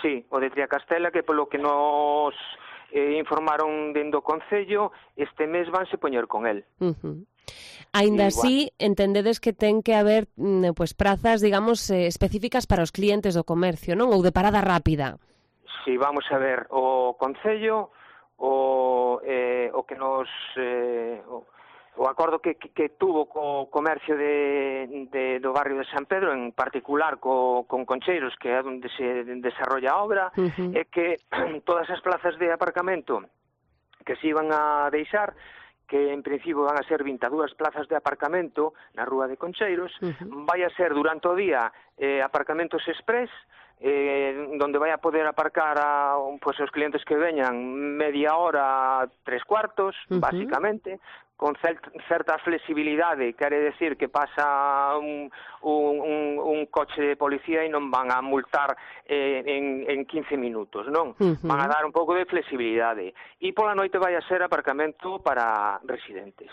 Sí, o de Triacastela, que polo que nos informaron dentro do Concello, este mes vanse poñer con el. Aínda Igual. así, entendedes que ten que haber pues prazas, digamos, específicas para os clientes do comercio, non? Ou de parada rápida. Si, vamos a ver, o Concello, o que nos... o acordo que tuvo co comercio do barrio de San Pedro, en particular con Concheiros, que é onde se desarrolla a obra, é que todas as plazas de aparcamento que se iban a deixar, que en principio van a ser 22 plazas de aparcamento na rúa de Concheiros, vai a ser durante o día aparcamentos express, donde vai a poder aparcar pues, os clientes que veñan media hora, 3/4, básicamente, con certa flexibilidade, quere decir que pasa un coche de policía e non van a multar en 15 minutos, non? Van a dar un pouco de flexibilidade. E pola noite vai a ser aparcamento para residentes.